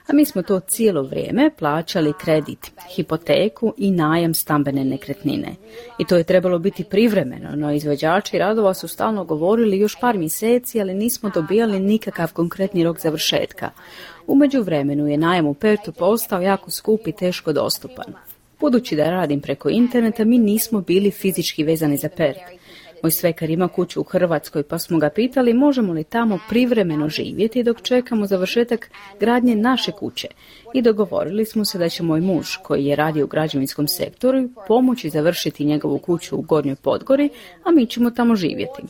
A mi smo to cijelo vrijeme plaćali kredit, hipoteku i najam stambene nekretnine. I to je trebalo biti privremeno, no izvođači radova su stalno govorili još par mjeseci, ali nismo dobijali nikakav konkretni rok završetka. U međuvremenu je najam u Pertu postao jako skup i teško dostupan. Budući da radim preko interneta, mi nismo bili fizički vezani za Pert. Moj svekar ima kuću u Hrvatskoj, pa smo ga pitali možemo li tamo privremeno živjeti dok čekamo završetak gradnje naše kuće. I dogovorili smo se da će moj muž, koji je radio u građevinskom sektoru, pomoći završiti njegovu kuću u Gornjoj Podgori, a mi ćemo tamo živjeti.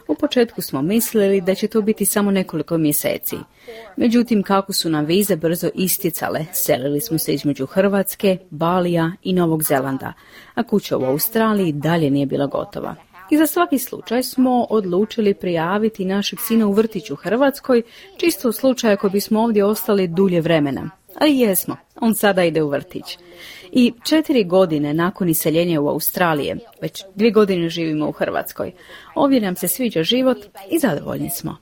U početku smo mislili da će to biti samo nekoliko mjeseci. Međutim, kako su nam vize brzo isticale, selili smo se između Hrvatske, Balija i Novog Zelanda, a kuća u Australiji dalje nije bila gotova. I za svaki slučaj smo odlučili prijaviti našeg sina u vrtić u Hrvatskoj, čisto u slučaju ako bismo ovdje ostali dulje vremena. A i jesmo, on sada ide u vrtić. I četiri godine nakon iseljenja u Australije, već dvije godine živimo u Hrvatskoj. Ovdje nam se sviđa život i zadovoljni smo.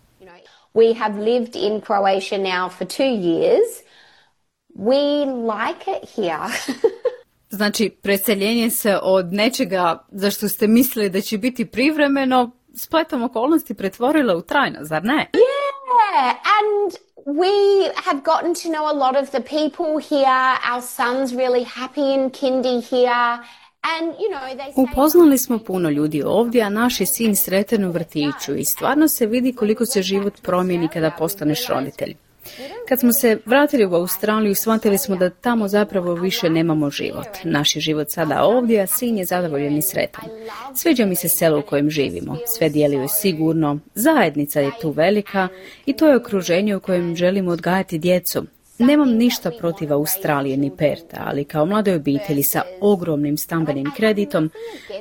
We have lived in Croatia now for two years. We like it here. Znači, preseljenje se od nečega za što ste mislili da će biti privremeno, spletom okolnosti pretvorilo u trajno, zar ne? Yeah, and we have gotten to know a lot of the people here. Our son's really happy in kindy here. And, you know, they say... Upoznali smo puno ljudi ovdje, a naš je sin sretan u vrtiću i stvarno se vidi koliko se život promijeni kada postaneš roditelj. Kad smo se vratili u Australiju, shvatili smo da tamo zapravo više nemamo život. Naš je život sada ovdje, a sin je zadovoljan i sretan. Sviđa mi se selo u kojem živimo. Sve djeluje sigurno, zajednica je tu velika i to je okruženje u kojem želimo odgajati djecu. Nemam ništa protiv Australije ni Perta, ali kao mladoj obitelji sa ogromnim stambenim kreditom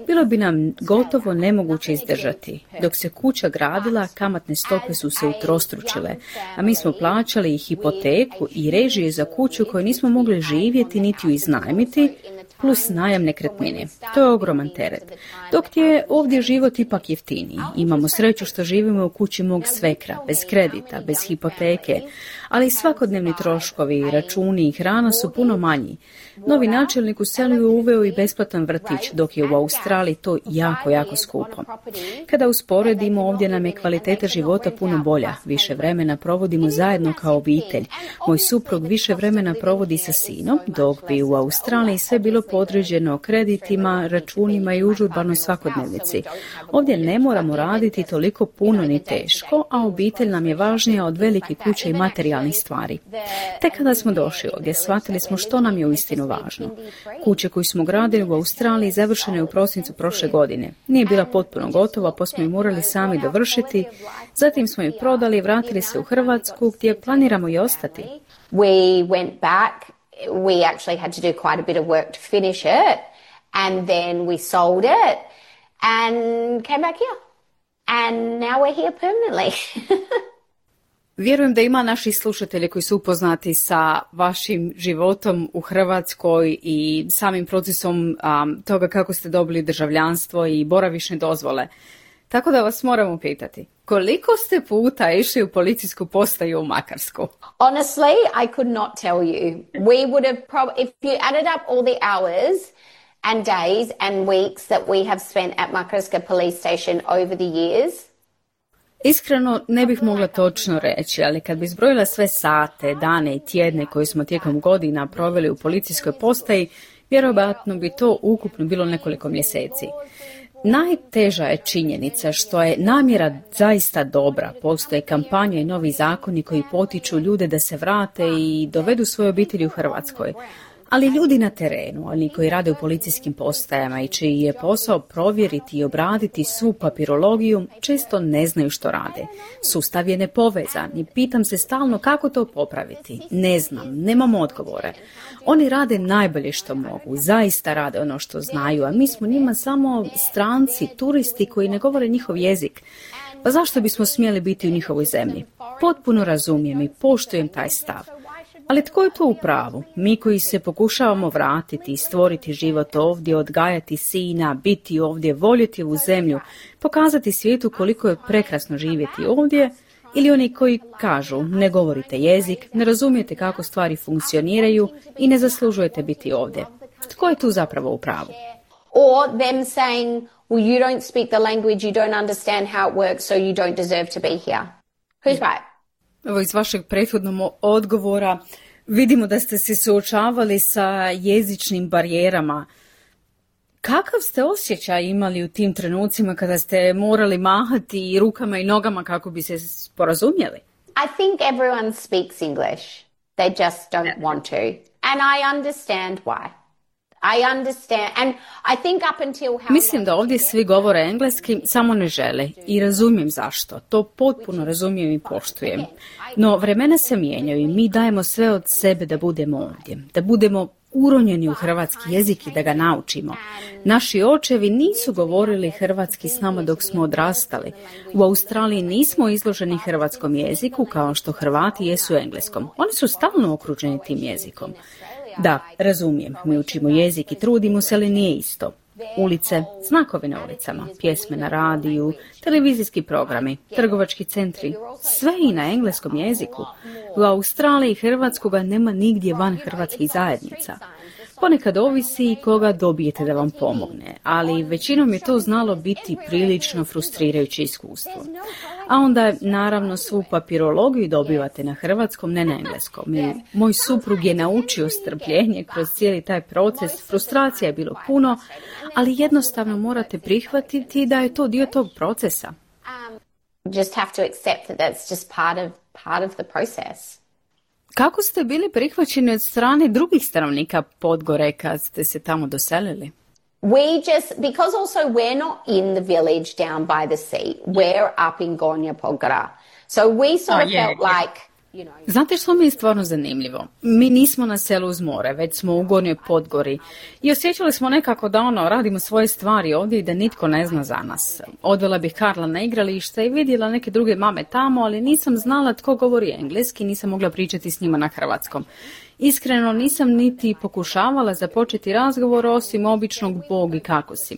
bilo bi nam gotovo nemoguće izdržati. Dok se kuća gradila, kamatne stope su se utrostručile, a mi smo plaćali i hipoteku i režije za kuću koju nismo mogli živjeti niti ju iznajmiti, plus najam nekretnine. To je ogroman teret. Dok je ovdje život ipak jeftiniji. Imamo sreću što živimo u kući mog svekra, bez kredita, bez hipoteke, ali svakodnevni troškovi, računi i hrana su puno manji. Novi načelnik u selu je uveo i besplatan vrtić, dok je u Australiji to jako, jako skupo. Kada usporedimo, ovdje nam je kvaliteta života puno bolja. Više vremena provodimo zajedno kao obitelj. Moj suprug više vremena provodi sa sinom, dok bi u Australiji sve bilo podređeno kreditima, računima i užurbanoj svakodnevnici. Ovdje ne moramo raditi toliko puno ni teško, a obitelj nam je važnija od velike kuće i materijalnih stvari. Tek kada smo došli ovdje, shvatili smo što nam je uistinu važno. Kuće koju smo gradili u Australiji završena je u prosincu prošle godine. Nije bila potpuno gotova, pa smo ju morali sami dovršiti. Zatim smo ju prodali i vratili se u Hrvatsku, gdje planiramo i ostati. We went back. We actually had to do quite a bit of work to finish it, and then we sold it and came back here. And now we're here permanently. Vjerujem da ima naših slušatelja koji su upoznati sa vašim životom u Hrvatskoj i samim procesom um, toga kako ste dobili državljanstvo i boravišne dozvole. Tako da vas moramo pitati, koliko ste puta išli u policijsku postaju u Makarsku? Honestly, I could not tell you. We would have probably, if you added up all the hours and days and weeks that we have spent at Makarska police station over the years. Iskreno ne bih mogla točno reći, ali kad bi zbrojila sve sate, dane i tjedne koje smo tijekom godina proveli u policijskoj postaji, vjerojatno bi to ukupno bilo nekoliko mjeseci. Najteža je činjenica što je namjera zaista dobra. Postoje kampanje i novi zakoni koji potiču ljude da se vrate i dovedu svoje obitelji u Hrvatskoj. Ali ljudi na terenu, oni koji rade u policijskim postajama i čiji je posao provjeriti i obraditi svu papirologiju, često ne znaju što rade. Sustav je nepovezan i pitam se stalno kako to popraviti. Ne znam, nemam odgovore. Oni rade najbolje što mogu, zaista rade ono što znaju, a mi smo njima samo stranci, turisti koji ne govore njihov jezik. Pa zašto bismo smjeli biti u njihovoj zemlji? Potpuno razumijem i poštujem taj stav. Ali tko je tu u pravu? Mi koji se pokušavamo vratiti i stvoriti život ovdje, odgajati sina, biti ovdje, voljeti ovu zemlju, pokazati svijetu koliko je prekrasno živjeti ovdje, ili oni koji kažu ne govorite jezik, ne razumijete kako stvari funkcioniraju i ne zaslužujete biti ovdje. Tko je tu zapravo u pravu? Or them saying, well, you don't speak the language, you don't understand how it works, so you don't deserve to be here. Who's right? Evo, iz vašeg prethodnog odgovora vidimo da ste se suočavali sa jezičnim barijerama. Kakav ste osjećaj imali u tim trenucima kada ste morali mahati i rukama i nogama kako bi se sporazumjeli? I think everyone speaks English. They just don't want to. And I understand why. I understand. And I think up until how... Mislim da ovdje svi govore engleski, samo ne žele. I razumijem zašto. To potpuno razumijem i poštujem. No, vremena se mijenjaju i mi dajemo sve od sebe da budemo ovdje. Da budemo uronjeni u hrvatski jezik i da ga naučimo. Naši očevi nisu govorili hrvatski s nama dok smo odrastali. U Australiji nismo izloženi hrvatskom jeziku kao što Hrvati jesu engleskom. Oni su stalno okruženi tim jezikom. Da, razumijem, mi učimo jezik i trudimo se, ali nije isto. Ulice, znakovi na ulicama, pjesme na radiju, televizijski programi, trgovački centri, sve i na engleskom jeziku. U Australiji hrvatskoga nema nigdje van hrvatskih zajednica. Ponekad ovisi koga dobijete da vam pomogne, ali većinom je to znalo biti prilično frustrirajuće iskustvo. A onda, naravno, svu papirologiju dobivate na hrvatskom, ne na engleskom. I moj suprug je naučio strpljenje kroz cijeli taj proces, frustracija je bilo puno, ali jednostavno morate prihvatiti da je to dio tog procesa. Um, just have to accept that that's just part of, part of the process. Kako ste bili prihvaćeni od strane drugih stanovnika Podgore kad ste se tamo doselili? We just, because also we're not in the village down by the sea, we're up in Gornja Podgora. So we sort of oh, yeah, felt yeah. like, you know... Znate što mi je stvarno zanimljivo? Mi nismo na selu uz more, već smo u Gornjoj Podgori i osjećali smo nekako da ono, radimo svoje stvari ovdje i da nitko ne zna za nas. Odvela bih Karla na igralište i vidjela neke druge mame tamo, ali nisam znala tko govori engleski, nisam mogla pričati s njima na hrvatskom. Iskreno nisam niti pokušavala započeti razgovor osim običnog Bog i kako si.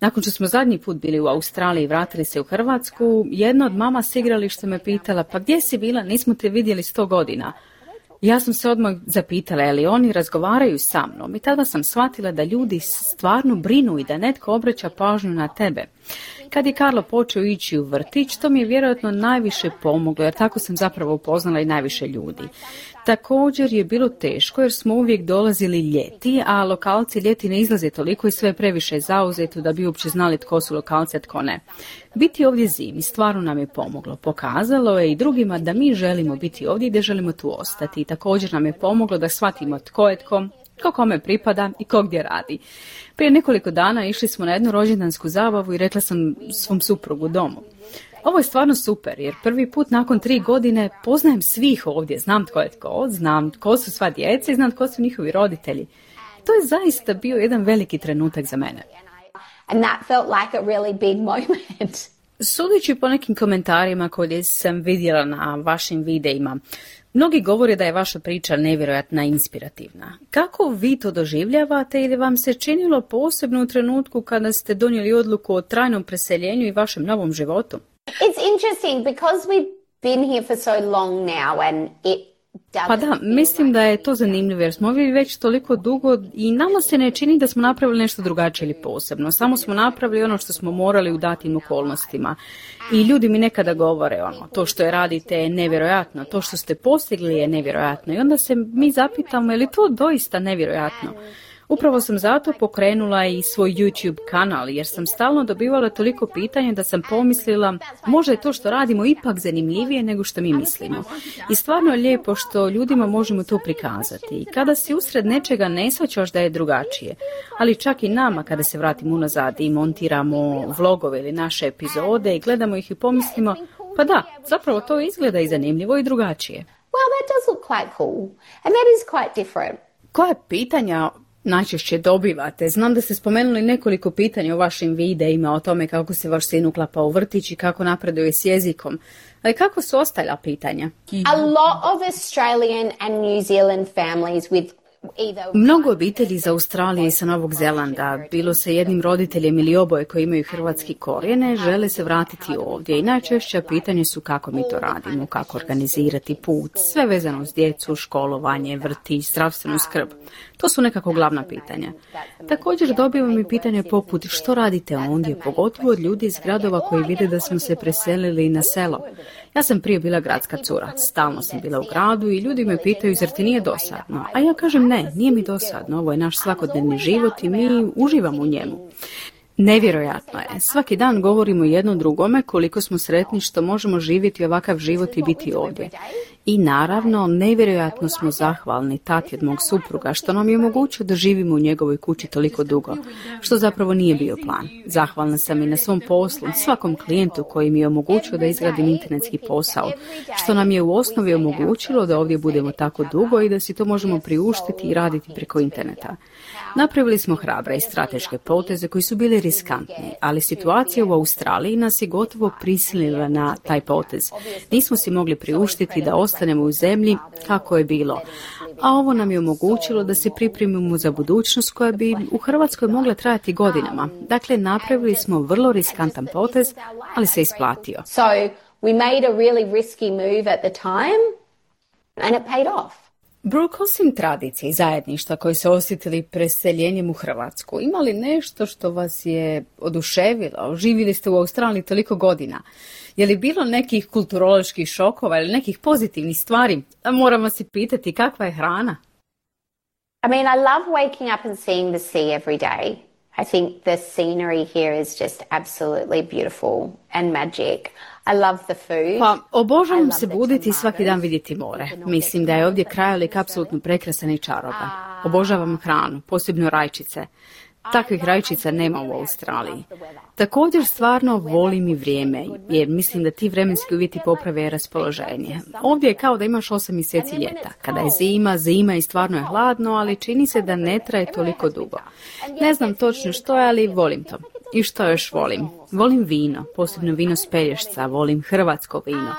Nakon što smo zadnji put bili u Australiji i vratili se u Hrvatsku, jedna od mama s igrališta me pitala, pa gdje si bila, nismo te vidjeli sto godina. Ja sam se odmah zapitala, je li oni razgovaraju sa mnom, i tada sam shvatila da ljudi stvarno brinu i da netko obraća pažnju na tebe. Kad je Karlo počeo ići u vrtić, to mi je vjerojatno najviše pomoglo, jer tako sam zapravo upoznala i najviše ljudi. Također je bilo teško jer smo uvijek dolazili ljeti, a lokalci ljeti ne izlaze toliko i sve je previše zauzeto da bi uopće znali tko su lokalci, a tko ne. Biti ovdje zimi stvarno nam je pomoglo. Pokazalo je i drugima da mi želimo biti ovdje i da želimo tu ostati. I također nam je pomoglo da shvatimo tko je tko, ko kome pripada i ko gdje radi. Prije nekoliko dana išli smo na jednu rođendansku zabavu i rekla sam svom suprugu domu. Ovo je stvarno super, jer prvi put nakon tri godine poznajem svih ovdje, znam tko je tko, znam tko su sva djeca i znam tko su njihovi roditelji. To je zaista bio jedan veliki trenutak za mene. And that felt like a really big moment. Sudeći po nekim komentarima koje sam vidjela na vašim videima, mnogi govore da je vaša priča nevjerojatna i inspirativna. Kako vi to doživljavate ili vam se činilo posebno u trenutku kada ste donijeli odluku o trajnom preseljenju i vašem novom životu? It's interesting because we've been here for so long now and it Pa da, mislim da je to zanimljivo jer smo ovdje već toliko dugo i nama se ne čini da smo napravili nešto drugačije ili posebno. Samo smo napravili ono što smo morali u datim okolnostima. I ljudi mi nekada govore ono, to što je radite je nevjerojatno, to što ste postigli je nevjerojatno. I onda se mi zapitamo je li to doista nevjerojatno. Upravo sam zato pokrenula i svoj YouTube kanal jer sam stalno dobivala toliko pitanja da sam pomislila možda je to što radimo ipak zanimljivije nego što mi mislimo. I stvarno je lijepo što ljudima možemo to prikazati. I kada si usred nečega ne shvaćaš da je drugačije, ali čak i nama kada se vratimo unazad i montiramo vlogove ili naše epizode i gledamo ih i pomislimo pa da, zapravo to izgleda i zanimljivo i drugačije. Well, that does look quite cool and that is quite different. Koja pitanja najčešće dobivate? Znam da ste spomenuli nekoliko pitanja u vašim videima o tome kako se vaš sin uklapa u vrtić i kako napreduje s jezikom. Ali kako su ostala pitanja? A lot of Australian and New Zealand families with Mnogo obitelji iz Australije i sa Novog Zelanda, bilo sa jednim roditeljem ili oboje koji imaju hrvatski korijene, žele se vratiti ovdje i najčešća pitanje su kako mi to radimo, kako organizirati put, sve vezano uz djecu, školovanje, vrtić, zdravstvenu skrb. To su nekako glavna pitanja. Također dobivam i pitanje poput što radite ondje, pogotovo od ljudi iz gradova koji vide da smo se preselili na selo. Ja sam prije bila gradska cura, stalno sam bila u gradu i ljudi me pitaju zar ti nije dosadno, a ja kažem ne, nije mi dosadno, ovo je naš svakodnevni život i mi uživamo u njemu. Nevjerojatno je, svaki dan govorimo jedno drugome koliko smo sretni što možemo živjeti ovakav život i biti ovdje. I naravno, nevjerojatno smo zahvalni tati od mog supruga što nam je omogućio da živimo u njegovoj kući toliko dugo, što zapravo nije bio plan. Zahvalna sam i na svom poslu, svakom klijentu koji mi je omogućio da izgradim internetski posao, što nam je u osnovi omogućilo da ovdje budemo tako dugo i da si to možemo priuštiti i raditi preko interneta. Napravili smo hrabre i strateške poteze koji su bili riskantni, ali situacija u Australiji nas je gotovo prisilila na taj potez. Nismo si mogli priuštiti da ostanemo u zemlji kako je bilo, a ovo nam je omogućilo da se pripremimo za budućnost koja bi u Hrvatskoj mogla trajati godinama. Dakle, napravili smo vrlo riskantan potez, ali se isplatio. So we made a really risky move at the time and it paid off. Brooke, osim tradicije i zajedništva koji se osjetili preseljenjem u Hrvatsku, ima li nešto što vas je oduševilo? Živjeli ste u Australiji toliko godina. Je li bilo nekih kulturoloških šokova ili nekih pozitivnih stvari? Moram vas i pitati kakva je hrana? I mean, I love waking up and seeing the sea every day. I think the scenery here is just absolutely beautiful and magic. I love the food. Pa, obožavam se buditi i svaki dan vidjeti more. Mislim da je ovdje krajolik apsolutno prekrasan i čaroban. Obožavam hranu, posebno rajčice. Takvih rajčica nema u Australiji. Također stvarno volim i vrijeme, jer mislim da ti vremenski uvjeti poprave raspoloženje. Ovdje je kao da imaš osam mjeseci ljeta. Kada je zima, zima i stvarno je hladno, ali čini se da ne traje toliko dugo. Ne znam točno što je, ali volim to. I što još volim? Volim vino, posebno vino s Pelješca, volim hrvatsko vino.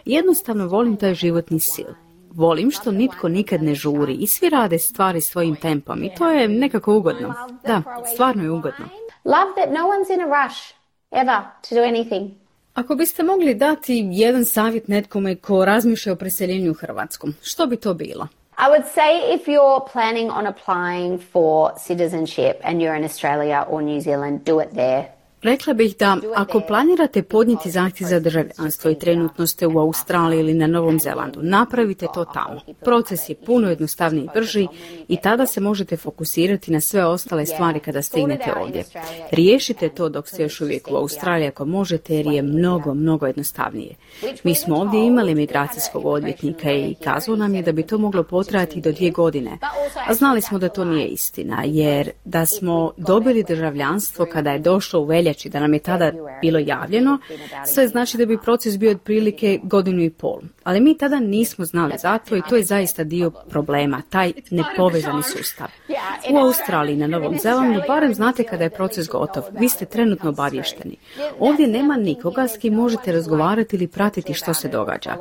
Jednostavno volim taj životni stil. Volim što nitko nikad ne žuri i svi rade stvari svojim tempom i to je nekako ugodno. Da, stvarno je ugodno. Love that no one's in a rush ever to do anything. Ako biste mogli dati jedan savjet netkome ko razmišlja o preseljenju u Hrvatsku, što bi to bilo? I would say if you're planning on applying for citizenship and you're in Australia or New Zealand, do it there. Rekla bih da ako planirate podnijeti zahtjev za državljanstvo i trenutno ste u Australiji ili na Novom Zelandu, napravite to tamo. Proces je puno jednostavniji i brži i tada se možete fokusirati na sve ostale stvari kada stignete ovdje. Riješite to dok ste još uvijek u Australiji ako možete jer je mnogo, mnogo jednostavnije. Mi smo ovdje imali migracijskog odvjetnika i kazao nam je da bi to moglo potrajati do dvije godine. A znali smo da to nije istina jer da smo dobili državljanstvo kada je došlo u veljači reći da nam je tada bilo javljeno, sve znači da bi proces bio otprilike godinu i pol. Ali mi tada nismo znali za to i to je zaista dio problema, taj nepovezani sustav. U Australiji, na Novom Zelandu, barem znate kada je proces gotov. Vi ste trenutno obavješteni. Ovdje nema nikoga s kim možete razgovarati ili pratiti što se događa.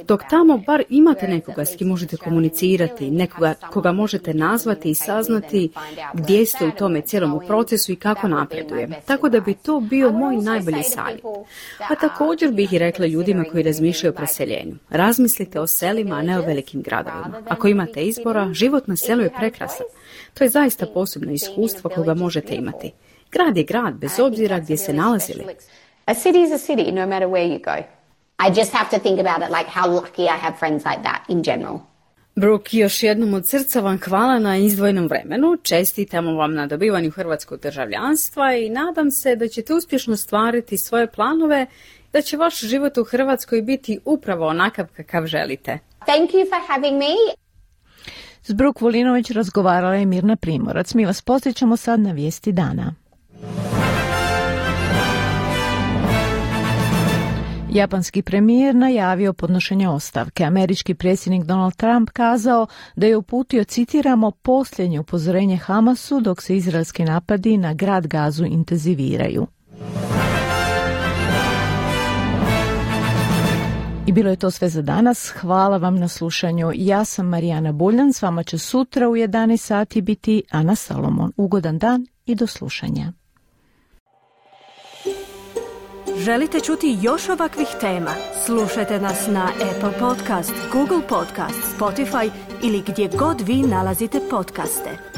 Dok tamo bar imate nekoga s kim možete komunicirati, nekoga koga možete nazvati i saznati gdje ste u tome cijelom procesu i kako napreduje. Tako da bi to bio moj najbolji savjet. A također bih i rekla ljudima koji razmišljaju o preseljenju. Razmislite o selima, a ne o velikim gradovima. Ako imate izbora, život na selu je prekrasan. To je zaista posebno iskustvo koga možete imati. Grad je grad, bez obzira gdje se nalazili. A city is a city, no matter where you go. I just have to think about it like how lucky I have friends like that in general. Brooke, još jednom od srca vam hvala na izdvojenom vremenu, čestitamo vam na dobivanju hrvatskog državljanstva i nadam se da ćete uspješno stvariti svoje planove, da će vaš život u Hrvatskoj biti upravo onakav kakav želite. Thank you for having me. S Brooke Volinović razgovarala je Mirna Primorac. Mi vas posjećamo sad na vijesti dana. Japanski premijer najavio podnošenje ostavke. Američki predsjednik Donald Trump kazao da je uputio, citiramo, posljednje upozorenje Hamasu dok se izraelski napadi na grad Gazu intenziviraju. I bilo je to sve za danas. Hvala vam na slušanju. Ja sam Marijana Buljan. S vama će sutra u jedanaest sati biti Ana Salomon. Ugodan dan i do slušanja. Želite čuti još ovakvih tema? Slušajte nas na Apple Podcast, Google Podcast, Spotify ili gdje god vi nalazite podcaste.